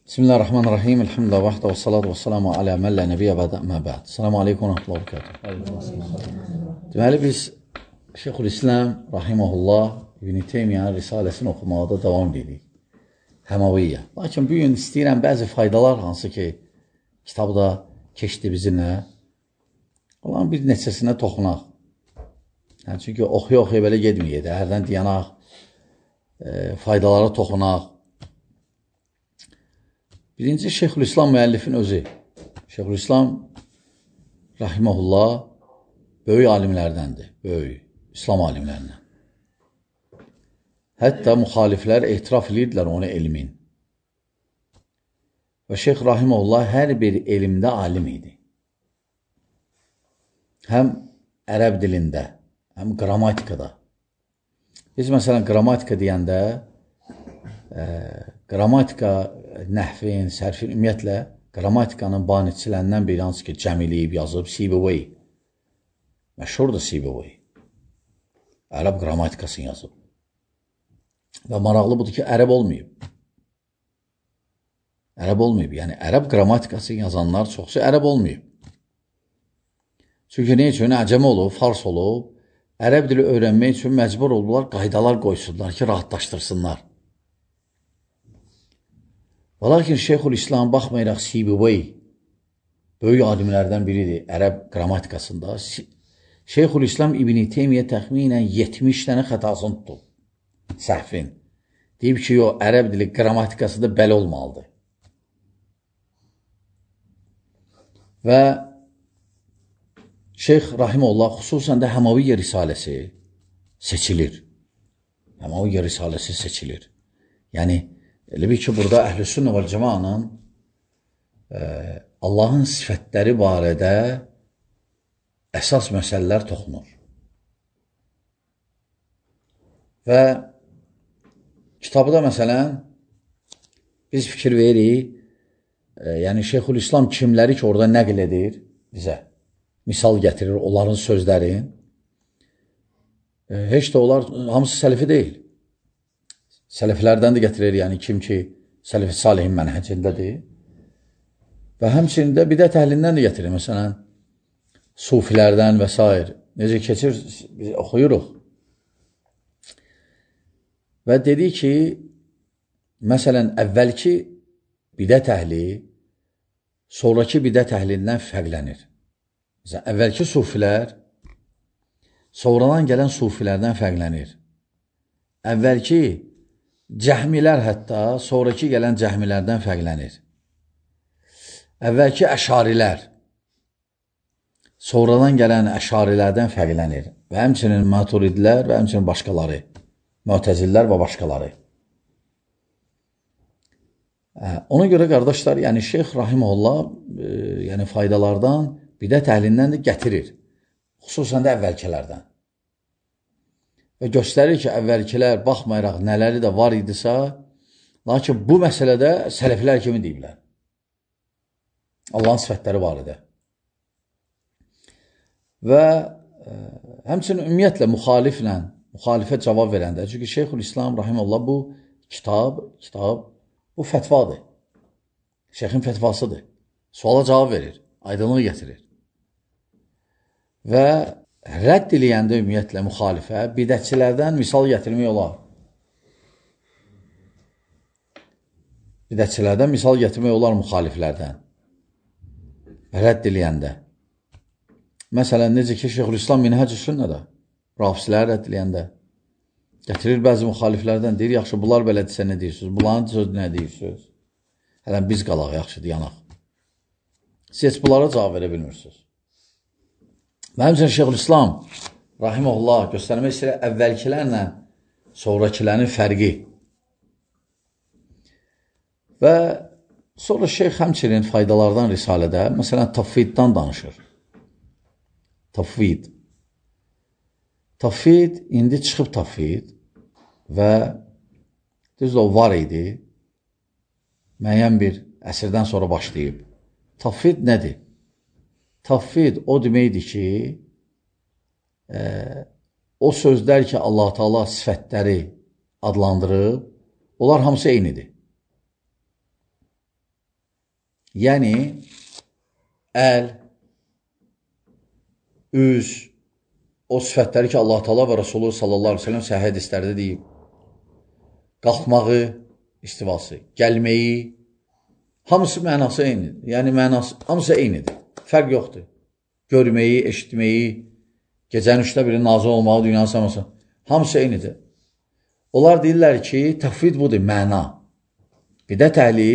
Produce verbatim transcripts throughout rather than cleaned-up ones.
Bismillahirrahmanirrahim. Elhamdülillah vahdə və salatu və salamu alə məllə nəbiyyə bədə əmmə bəd. Selamu aleykum və rəhmətullah və bərəkatuhu. Deməli, biz Şeyxülislam Rahiməhullah İbn Teymiyyə risaləsini oxumaqda davam edirik. Həmaviyyə. Lakin bugün istəyirəm bəzi faydalar, hansı ki, kitabda keçdi bizimlə, olan bir neçəsinə toxunaq. Yəni, çünki oxuya-oxuya belə gedməyək, hərdən deyanaq, e, faydalara toxunaq. Birinci, Şeyxülislam müəllifin özü. Şeyxülislam Rahiməhullah böyük alimlərdəndir, böyük İslam alimlərindən. Hətta müxaliflər etiraf edirdilər onu elmin. Və Şeyx Rahiməhullah hər bir elmdə alim idi. Həm ərəb dilində, həm qrammatikada. Biz məsələn qrammatika deyəndə, e, qrammatika, nəhvin, sərfin, ümumiyyətlə, qrammatikanın banitçilərindən biri hansı ki, cəmiliyib, yazıb, Sibawayh. Məşhurdur Sibawayh. Ərəb qrammatikasını yazıb. Və maraqlı budur ki, ərəb olmayıb. Ərəb olmayıb. Yəni, ərəb qrammatikasını yazanlar çoxsu ərəb olmayıb. Çünki ne üçün? Əcəmi olub, fars olub. Ərəb dili öyrənmək üçün məcbur oldular, qaydalar qoysunlar ki, rahatlaşdırsınlar. Və lakin Şeyxülislam baxmayaraq Sibawayh böyük alimlərdən biridir ərəb qrammatikasında. Şeyxülislam İbn Teymiyyə təxminən yetmiş dənə xətasını tutub. Səhvin. Deyib ki, o ərəb dili qrammatikasında belə olmalıdır. Və Şeyx Rahiməhullah xüsusən də Həmaviyyə risaləsi seçilir. Həmaviyyə risaləsi seçilir. Yəni, elə bir ki, burada Əhlüsünnə və Cəmaanın e, Allahın sifətləri barədə əsas məsələlər toxunur. Və kitabda məsələn, biz fikir veririk, e, yəni Şeyxülislam kimləri ki, orada nəql edir bizə, misal gətirir, onların sözlərin, e, heç də onlar hamısı sələfi deyil. Sələflərdən də gətirir, yəni kim ki, sələf-i salihin mənhəcindədir. Və həmçinin də bidət əhlindən də gətirir, məsələn, sufilərdən və s. Necə keçir, biz oxuyuruq. Və dedi ki, məsələn, əvvəlki bidət əhli, sonraki bidət əhlindən fərqlənir. Məsələn, əvvəlki sufilər, sonradan gələn sufilərdən fərqlənir. Əvvəlki cəhmilər hətta sonraki gələn cəhmilərdən fərqlənir. Əvvəlki əşarilər sonradan gələn əşarilərdən fərqlənir. Və həmçinin maturidlər və həmçinin başqaları, mütəzillər və başqaları. Ona görə qardaşlar, yəni Şeyx Rahiməhullah e, yəni faydalardan bidət əhlindən də gətirir. Xüsusən də əvvəlkilərdən. Və göstərir ki, əvvəlkilər baxmayaraq nələri də var idisə, lakin bu məsələdə sələflər kimi deyiblər. Allahın sifətləri var idi. Və e, həmçinin ümumiyyətlə müxaliflə, müxalifə cavab verəndə, çünki Şeyxülislam Rahiməhullah bu kitab, kitab, bu fətvadır. Şeyxin fətvasıdır. Suala cavab verir, aydınlığı gətirir. Və rədd eləyəndə ümumiyyətlə müxalifə bidətçilərdən misal gətirmək olar. Bidətçilərdən misal gətirmək olar müxaliflərdən. Rədd eləyəndə. Məsələn, necə ki, Şeyxülislam Minhəc-i Sünnədə rafisləri rədd eləyəndə gətirir bəzi müxaliflərdən, deyir, yaxşı, bunlar belədirsə nə deyirsiniz? Bunların sözü nə deyirsiniz? Hələn biz qalaq, yaxşı, deyanaq. Siz heç bunlara cavab verə bilmirsiniz. Mənim üçün Şeyxülislam Rahiməhullah göstərmək istəyir əvvəlkilərlə sonrakilərin fərqi. Və sonra Şeyx həmçinin faydalardan risalədə, məsələn, tafviddən danışır. Tafvid. Tafvid, indi çıxıb tafvid və düzdür, o var idi, müəyyən bir əsrdən sonra başlayıb. Tafvid nədir? Tafvid o deməkdir ki, e, o sözlər ki, Allah-u Teala sifətləri adlandırıb, onlar hamısı eynidir. Yəni, əl, üz, o sifətləri ki, Allah Teala və Rasulü sallallahu aleyhi ve sellem səhih hədislərdə deyib, qalxmağı, istivası, gəlməyi, hamısı mənası eynidir. Yəni, mənası, hamısı eynidir. Fərq yoxdur. Görməyi, eşitməyi, gecənin üçdə biri nazı olmağı, dünyanın saması, hamısı eynidir. Onlar deyirlər ki, təfvid budur, məna. Bidət əhli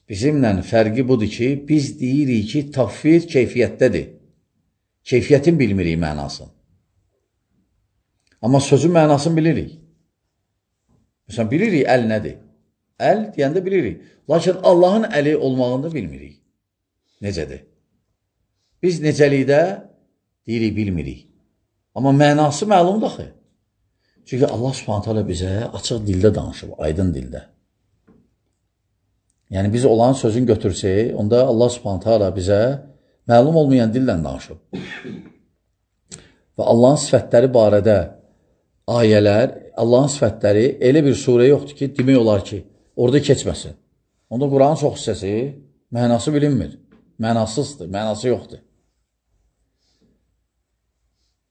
bizimlə fərqi budur ki, biz deyirik ki, təfvid keyfiyyətdədir. Keyfiyyətin bilmirik mənasını. Amma sözün mənasını bilirik. Məsələn, bilirik əl nədir? Əl deyəndə bilirik. Lakin Allahın əli olmağını bilmirik. Necədir? Biz necəlikdə deyirik, bilmirik. Amma mənası məlumdur axı. Çünki Allah Subhanahu taala bizə açıq dildə danışıb, aydın dildə. Yəni, biz olan sözün götürsək, onda Allah Subhanahu taala bizə məlum olmayan dillə danışıb. Və Allahın sifətləri barədə ayələr, Allahın sifətləri elə bir surə yoxdur ki, demək olar ki, orada keçməsin. Onda Quranın çox hissəsi mənası bilinmir. Mənasızdır, mənası yoxdur.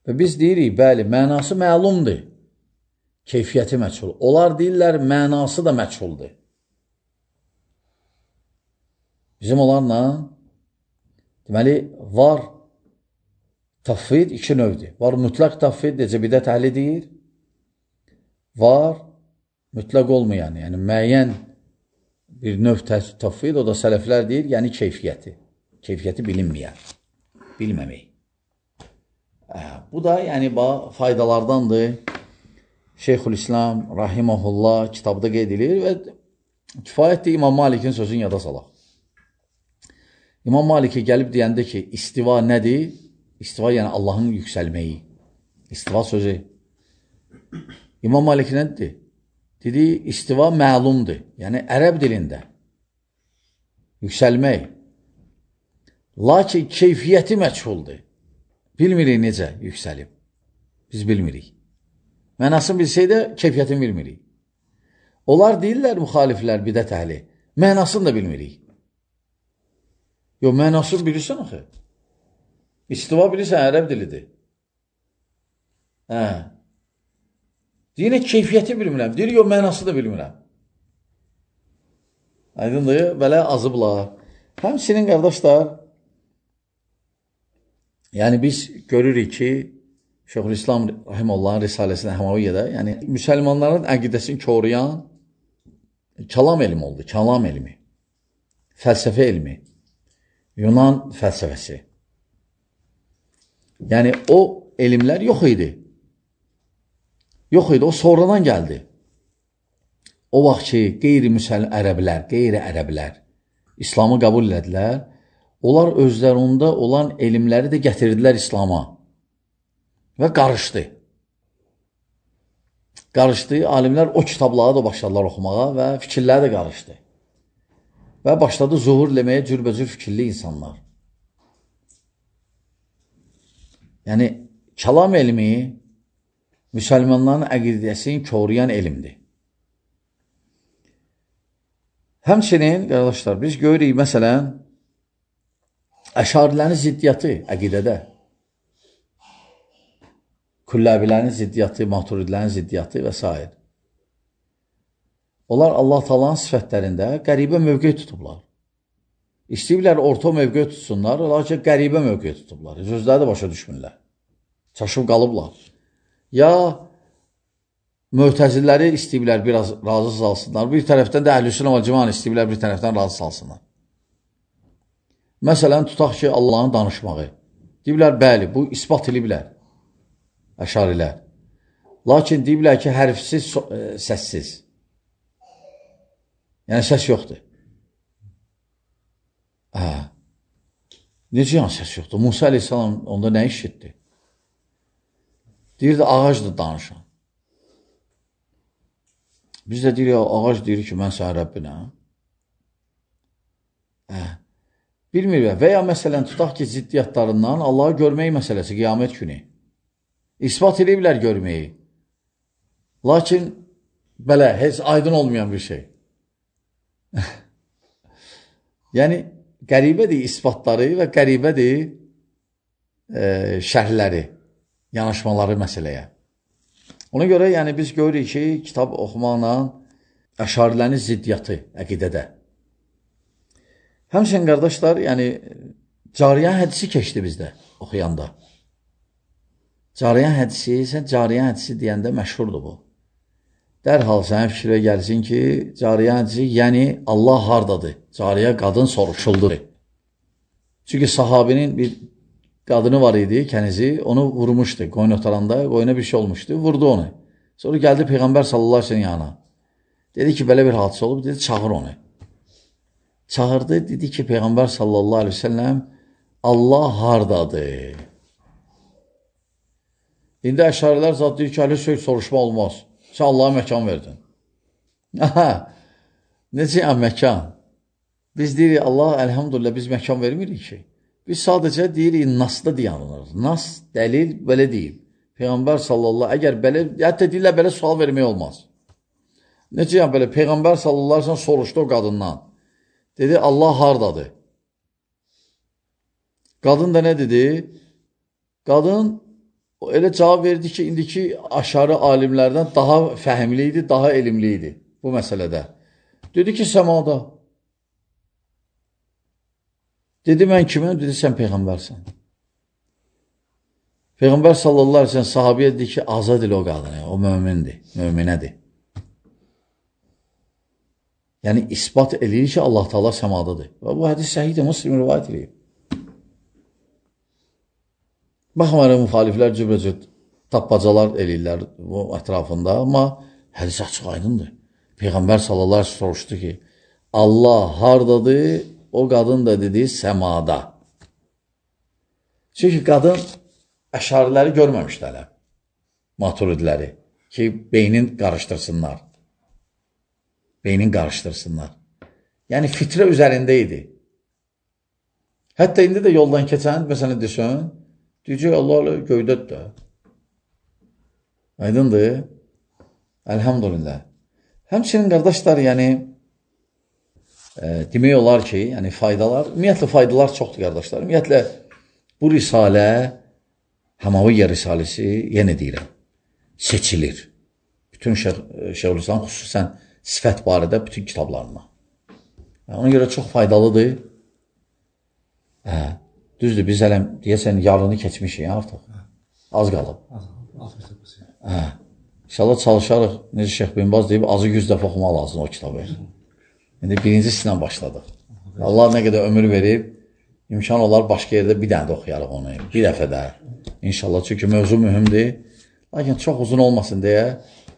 Və biz deyirik, bəli, mənası məlumdur. Keyfiyyəti məchul. Onlar deyirlər, mənası da məchuldur. Bizim onlarla deməli, var təfvid iki növdür. Var mütləq təfvid, necə bidət əhli deyir. Var mütləq olmayan, yəni müəyyən bir növ təfvid, o da sələflər deyir, yəni keyfiyyəti. Keyfiyyəti bilinməyən, bilməmək. Bu da yəni faydalardandır. Şeyxülislam Rahiməhullah kitabda qeyd edilir və kifayətdir İmam Malikin sözünü yada salaq. İmam Maliki gəlib deyəndə ki, istiva nədir? İstiva yəni Allahın yüksəlməyi. İstiva sözü. İmam Malik nədir? Dedi, istiva məlumdur. Yəni ərəb dilində. Yüksəlmək. Lakin keyfiyyəti məchuldur. Bilmirik necə yüksəlib. Biz bilmirik. Mənasını bilsək də keyfiyyətini bilmirik. Onlar deyirlər, müxaliflər, bidət əhli, mənasını da bilmirik. Yox, mənasını bilirsən axı. İstiva bilirsən, ərəb dilidir. Hə. Deyir, keyfiyyəti bilmirəm. Deyir, yox, mənası da bilmirəm. Aydındır, belə azıblar. Həmsinin qardaşlar, yəni biz görürük ki, Şeyxülislam Rahiməllahın Risaləsində Həmaviyyədə, yəni müsəlmanların əqidəsini koruyan kəlam elmi oldu, kəlam elmi, fəlsəfə elmi, Yunan fəlsəfəsi. Yəni o elmlər yox idi. Yox idi, o sonradan gəldi. O vaxt ki, qeyri-müsəlman ərəblər, qeyri-ərəblər İslamı qəbul elədilər, onlar özlərində olan elmləri də gətirdilər İslama. Və qarışdı. Qarışdı, alimlər o kitabları da başladılar oxumağa və fikirləri də qarışdı. Və başladı zuhur eləməyə cürbəcür fikirli insanlar. Yəni, kəlam elmi müsəlmanların əqidəsini koruyan elmdir. Həmçinin, qardaşlar, biz görürük, məsələn, əşarilərin ziddiyyatı əqidədə. Külləbilərin ziddiyyatı, maturidilərin ziddiyyatı və s. Onlar Allah Taala'nın sifətlərində qəribə mövqe tutublar. İstəyiblər orta mövqe tutsunlar, lakin qəribə mövqe tutublar. Sözləri də başa düşmürlər. Çaşıb qalıblar. Ya mötəzilləri istəyiblər biraz razı salsınlar, bir tərəfdən də Əhlüsünnə vəl Cemaat istəyiblər bir tərəfdən razı salsınlar. Məsələn, tutaq ki, Allahın danışmağı. Deyiblər, bəli, bu isbat ediblər. Əşarilər. Lakin deyiblər ki, hərfsiz, e, səssiz. Yəni, səs yoxdur. Hə. Necə yəni səs yoxdur? Musa aleyhissalam onda nə işitdi? Deyirdi, ağacdır danışan. Biz də deyirik, ağac deyir ki, mən sənə Rəbbinəm. Hə. Bilmirik. Və ya məsələn, tutaq ki, ziddiyyatlarından Allahı görmək məsələsi, qiyamət günü. İsbat ediblər görməyi. Lakin, belə, heç aydın olmayan bir şey. Yəni, qəribədir isbatları və qəribədir e, şərhləri, yanaşmaları məsələyə. Ona görə yəni, biz görürük ki, kitab oxumaqla əşarilərin ziddiyyatı əqidədə. Həmçinin, qardaşlar, yəni, Cariyən hədisi keçdi bizdə oxuyanda. Cariyən hədisi, sən Cariyən hədisi deyəndə məşhurdur bu. Dərhal sənə fikrə gəlsin ki, Cariyən hədisi, yəni Allah hardadır? Cariyə qadın soruşuldur. Çünki sahabinin bir qadını var idi, kənizi, onu vurmuşdu qoyun otaranda, qoyuna bir şey olmuşdu, vurdu onu. Sonra gəldi Peyğəmbər sallallahu aleyhi ve sellem yanına. Dedi ki, belə bir hadisə olub, dedi, çağır onu. Çağırdı, dedi ki, Peyğəmbər sallallahu aleyhi ve sellem, Allah hardadır? İndi əşarilər zat deyir ki, hələ söz soruşma olmaz. Sən Allah'a məkan verdin. Aha, necə yəni məkan? Biz deyirik, Allah, əlhamdülillah, biz məkan vermirik ki. Biz sadəcə deyirik, nasda deyanırıq. Nas, dəlil, belə deyil. Peyğəmbər sallallahu, əgər belə, hətta deyirlər, belə sual vermək olmaz. Necə yəni belə, Peyğəmbər sallallahu aleyhi ve sellem soruşdu o qadından. Dedi, Allah hardadır? Qadın da nə dedi? Qadın elə cavab verdi ki, indiki aşarı alimlərdən daha fəhimli idi, daha elmli idi bu məsələdə. Dedi ki, səmada. Dedi, mən kimim? Dedi, sən Peyğəmbərsən. Peyğəmbər sallallahu aleyhi ve sellem sahabiyə dedi ki, azad elə o qadını, o mömindir, möminədir. Yəni, ispat edir ki, Allah Teala səmadadır. Və bu hədis səhiddir, Müslim rivayət edir. Baxmayaraq, müxaliflər cübrəcət tapbacalar eləyirlər bu ətrafında, amma hədis açıq aydındır. Peyğəmbər sallallahu aleyhi ve sellem soruşdu ki, Allah hardadır? O qadın da dedi, səmada. Çünki qadın əşariləri görməmişdi hələ, maturidiləri, ki, beynin qarışdırsınlar. Beynin qarışdırsınlar. Yəni, fitrə üzərində idi. Hətta indi də yoldan keçən, məsələn, desən, deyəcək, Allah göydədir də. Aydındır. Əlhamdülillah. Həmçinin, qardaşlar, yəni, e, demək olar ki, yəni, faydalar, ümumiyyətlə, faydalar çoxdur, qardaşlar. Ümumiyyətlə, bu risalə, Həmaviyyə risaləsi, yenə deyirəm, seçilir. Bütün Şeyhülislam, xüsusən sifət barədə bütün kitablarına. Ona görə çox faydalıdır. Hə, düzdür, biz hələm, deyəsən, yarını keçmişik artıq. Az qalıb. Hə, inşallah çalışarıq, necə Şeyh Binbaz deyib, azı yüz dəfə oxumaq lazım o kitabı. İndi birincisindən başladıq. Allah nə qədər ömür verib, imkan olar başqa yerdə bir dənə də oxuyarıq onu, bir dəfə də. İnşallah, çünki mövzu mühümdir. Lakin çox uzun olmasın deyə,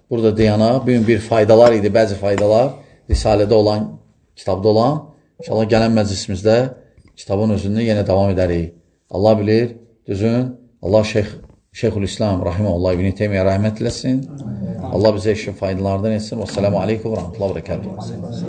burada deyana, bugün bir faydalar idi, bəzi faydalar, Risalədə olan, kitabda olan. İnşallah gələn məclisimizdə kitabın özünü yenə davam edərik. Allah bilir, düzün, Allah Şeyh, Şeyhülislam, Rahiməhullah, İbn-i Teymiyyə rəhmət eləsin. Allah bizə işin faydalarından etsin. Vəssalamu aleykum və rəhmətullah və bərəkətuhu.